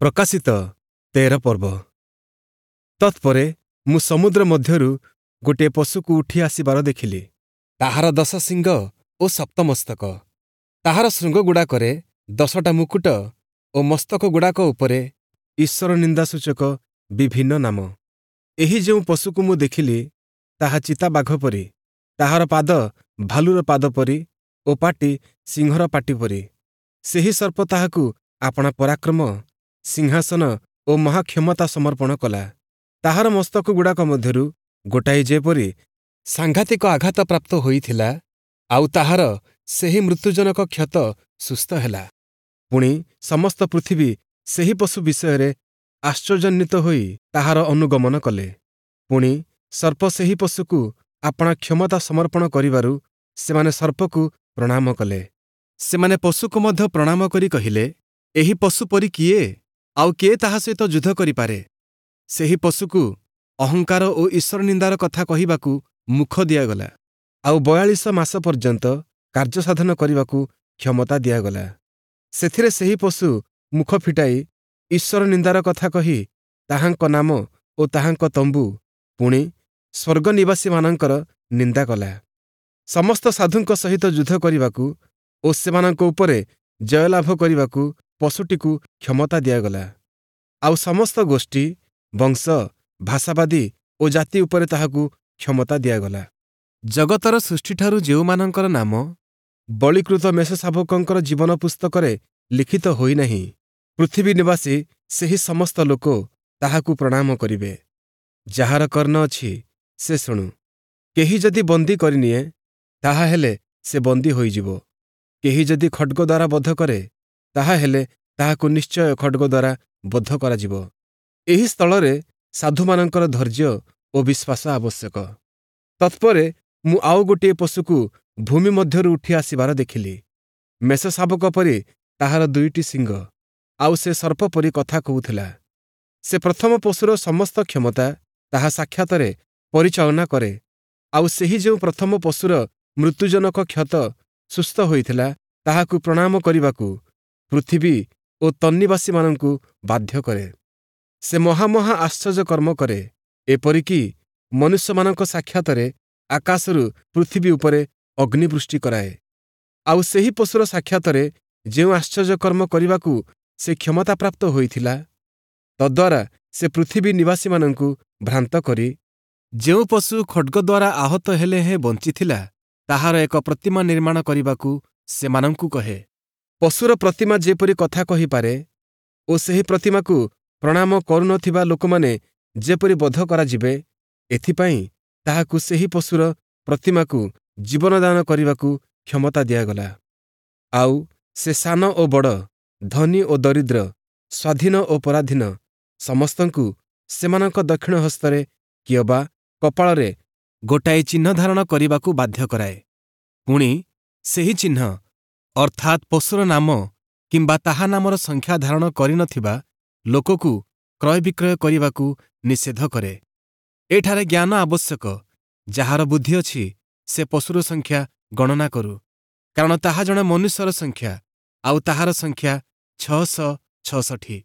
ପ୍ରକାଶିତ 13 ପର୍ବ। ତତ୍ପରେ ମୁଁ ସମୁଦ୍ର ମଧ୍ୟରୁ ଗୋଟିଏ ପଶୁକୁ ଉଠି ଆସିବାର ଦେଖିଲି। ତାହାର 10 ଶିଙ୍ଗ ଓ ସପ୍ତ ମସ୍ତକ। ତାହାର ଶୃଙ୍ଗଗୁଡ଼ାକରେ 10ଟା ମୁକୁଟ ଓ ମସ୍ତକଗୁଡ଼ାକ ଉପରେ ଈଶ୍ୱର ନିନ୍ଦାସୂଚକ ବିଭିନ୍ନ ନାମ। ଏହି ଯେଉଁ ପଶୁକୁ ମୁଁ ଦେଖିଲି, ତାହା ଚିତାବାଘ ପରି, ତାହାର ପାଦ ଭାଲୁର ପାଦ ପରି ଓ ପାଟି ସିଂହର ପାଟି ପରି। ସେହି ସର୍ପ ତାହାକୁ ଆପଣା ପରାକ୍ରମ, ସିଂହାସନ ଓ ମହାକ୍ଷମତା ସମର୍ପଣ କଲା। ତାହାର ମସ୍ତକଗୁଡ଼ାକ ମଧ୍ୟରୁ ଗୋଟାଏ ଯେପରି ସାଂଘାତିକ ଆଘାତ ପ୍ରାପ୍ତ ହୋଇଥିଲା, ଆଉ ତାହାର ସେହି ମୃତ୍ୟୁଜନକ କ୍ଷତ ସୁସ୍ଥ ହେଲା। ପୁଣି ସମସ୍ତ ପୃଥିବୀ ସେହି ପଶୁ ବିଷୟରେ ଆଶ୍ଚର୍ଯ୍ୟାନ୍ୱିତ ହୋଇ ତାହାର ଅନୁଗମନ କଲେ। ପୁଣି ସର୍ପ ସେହି ପଶୁକୁ ଆପଣା କ୍ଷମତା ସମର୍ପଣ କରିବାରୁ ସେମାନେ ସର୍ପକୁ ପ୍ରଣାମ କଲେ। ସେମାନେ ପଶୁକୁ ମଧ୍ୟ ପ୍ରଣାମ କରି କହିଲେ, ଏହି ପଶୁ ପରି କିଏ? ଆଉ କିଏ ତାହା ସହିତ ଯୁଦ୍ଧ କରିପାରେ? ସେହି ପଶୁକୁ ଅହଙ୍କାର ଓ ଈଶ୍ୱର ନିନ୍ଦାର କଥା କହିବାକୁ ମୁଖ ଦିଆଗଲା, ଆଉ 42 ମାସ ପର୍ଯ୍ୟନ୍ତ କାର୍ଯ୍ୟସାଧନ କରିବାକୁ କ୍ଷମତା ଦିଆଗଲା। ସେଥିରେ ସେହି ପଶୁ ମୁଖ ଫିଟାଇ ଈଶ୍ୱର ନିନ୍ଦାର କଥା କହି ତାହାଙ୍କ ନାମ ଓ ତାହାଙ୍କ ତମ୍ବୁ, ପୁଣି ସ୍ୱର୍ଗ ନିବାସୀମାନଙ୍କର ନିନ୍ଦା କଲା। ସମସ୍ତ ସାଧୁଙ୍କ ସହିତ ଯୁଦ୍ଧ କରିବାକୁ ଓ ସେମାନଙ୍କ ଉପରେ ଜୟଲାଭ କରିବାକୁ ପଶୁଟିକୁ କ୍ଷମତା ଦିଆଗଲା। ଆଉ ସମସ୍ତ ଗୋଷ୍ଠୀ, ବଂଶ, ଭାଷାବାଦୀ ଓ ଜାତି ଉପରେ ତାହାକୁ କ୍ଷମତା ଦିଆଗଲା। ଜଗତର ସୃଷ୍ଟିଠାରୁ ଯେଉଁମାନଙ୍କର ନାମ ବଳୀକୃତ ମେଷଶାବକଙ୍କର ଜୀବନ ପୁସ୍ତକରେ ଲିଖିତ ହୋଇନାହିଁ, ପୃଥିବୀ ନିବାସୀ ସେହି ସମସ୍ତ ଲୋକ ତାହାକୁ ପ୍ରଣାମ କରିବେ। ଯାହାର କର୍ଣ୍ଣ ଅଛି, ସେ ଶୁଣୁ। କେହି ଯଦି ବନ୍ଦୀ କରିନିଏ, ତାହାହେଲେ ସେ ବନ୍ଦୀ ହୋଇଯିବ। କେହି ଯଦି ଖଡ଼୍ଗ ଦ୍ୱାରା ବଧ କରେ, ତାହାହେଲେ ତାହାକୁ ନିଶ୍ଚୟ ଖଡ଼୍ଗ ଦ୍ୱାରା ବଧ କରାଯିବ। ଏହି ସ୍ଥଳରେ ସାଧୁମାନଙ୍କର ଧୈର୍ଯ୍ୟ ଓ ବିଶ୍ୱାସ ଆବଶ୍ୟକ। ତତ୍ପରେ ମୁଁ ଆଉ ଗୋଟିଏ ପଶୁକୁ ଭୂମି ମଧ୍ୟରୁ ଉଠି ଆସିବାର ଦେଖିଲି। ମେଷଶାବକ ପରି ତାହାର 2ଟି ଶିଙ୍ଗ, ଆଉ ସେ ସର୍ପ ପରି କଥା କହୁଥିଲା। ସେ ପ୍ରଥମ ପଶୁର ସମସ୍ତ କ୍ଷମତା ତାହା ସାକ୍ଷାତରେ ପରିଚାଳନା କରେ, ଆଉ ସେହି ଯେଉଁ ପ୍ରଥମ ପଶୁର ମୃତ୍ୟୁଜନକ କ୍ଷତ ସୁସ୍ଥ ହୋଇଥିଲା, ତାହାକୁ ପ୍ରଣାମ କରିବାକୁ ପୃଥିବୀ ଓ ତନ୍ନିବାସୀମାନଙ୍କୁ ବାଧ୍ୟ କରେ। ସେ ମହାମହା ଆଶ୍ଚର୍ଯ୍ୟ କର୍ମ କରେ, ଏପରିକି ମନୁଷ୍ୟମାନଙ୍କ ସାକ୍ଷାତରେ ଆକାଶରୁ ପୃଥିବୀ ଉପରେ ଅଗ୍ନିବୃଷ୍ଟି କରାଏ। ଆଉ ସେହି ପଶୁର ସାକ୍ଷାତରେ ଯେଉଁ ଆଶ୍ଚର୍ଯ୍ୟ କର୍ମ କରିବାକୁ ସେ କ୍ଷମତାପ୍ରାପ୍ତ ହୋଇଥିଲା, ତଦ୍ୱାରା ସେ ପୃଥିବୀ ନିବାସୀମାନଙ୍କୁ ଭ୍ରାନ୍ତ କରି ଯେଉଁ ପଶୁ ଖଡ଼୍ଗ ଦ୍ୱାରା ଆହତ ହେଲେ ହେଁ ବଞ୍ଚିଥିଲା, ତାହାର ଏକ ପ୍ରତିମା ନିର୍ମାଣ କରିବାକୁ ସେମାନଙ୍କୁ କହେ। ପଶୁର ପ୍ରତିମା ଯେପରି କଥା କହିପାରେ ଓ ସେହି ପ୍ରତିମାକୁ ପ୍ରଣାମ କରୁନଥିବା ଲୋକମାନେ ଯେପରି ବଧ କରାଯିବେ, ଏଥିପାଇଁ ତାହାକୁ ସେହି ପଶୁର ପ୍ରତିମାକୁ ଜୀବନଦାନ କରିବାକୁ କ୍ଷମତା ଦିଆଗଲା। ଆଉ ସେ ସାନ ଓ ବଡ଼, ଧନୀ ଓ ଦରିଦ୍ର, ସ୍ୱାଧୀନ ଓ ପରାଧୀନ ସମସ୍ତଙ୍କୁ ସେମାନଙ୍କ ଦକ୍ଷିଣ ହସ୍ତରେ କିଅବା କପାଳରେ ଗୋଟାଏ ଚିହ୍ନ ଧାରଣ କରିବାକୁ ବାଧ୍ୟ କରାଏ। ପୁଣି ସେହି ଚିହ୍ନ, ଅର୍ଥାତ୍ ପଶୁର ନାମ କିମ୍ବା ତାହା ନାମର ସଂଖ୍ୟା ଧାରଣ କରିନଥିବା ଲୋକକୁ କ୍ରୟବିକ୍ରୟ କରିବାକୁ ନିଷେଧ କରେ। ଏଠାରେ ଜ୍ଞାନ ଆବଶ୍ୟକ। ଯାହାର ବୁଦ୍ଧି ଅଛି, ସେ ପଶୁର ସଂଖ୍ୟା ଗଣନା କରୁ, କାରଣ ତାହା ଜଣେ ମନୁଷ୍ୟର ସଂଖ୍ୟା, ଆଉ ତାହାର ସଂଖ୍ୟା 666।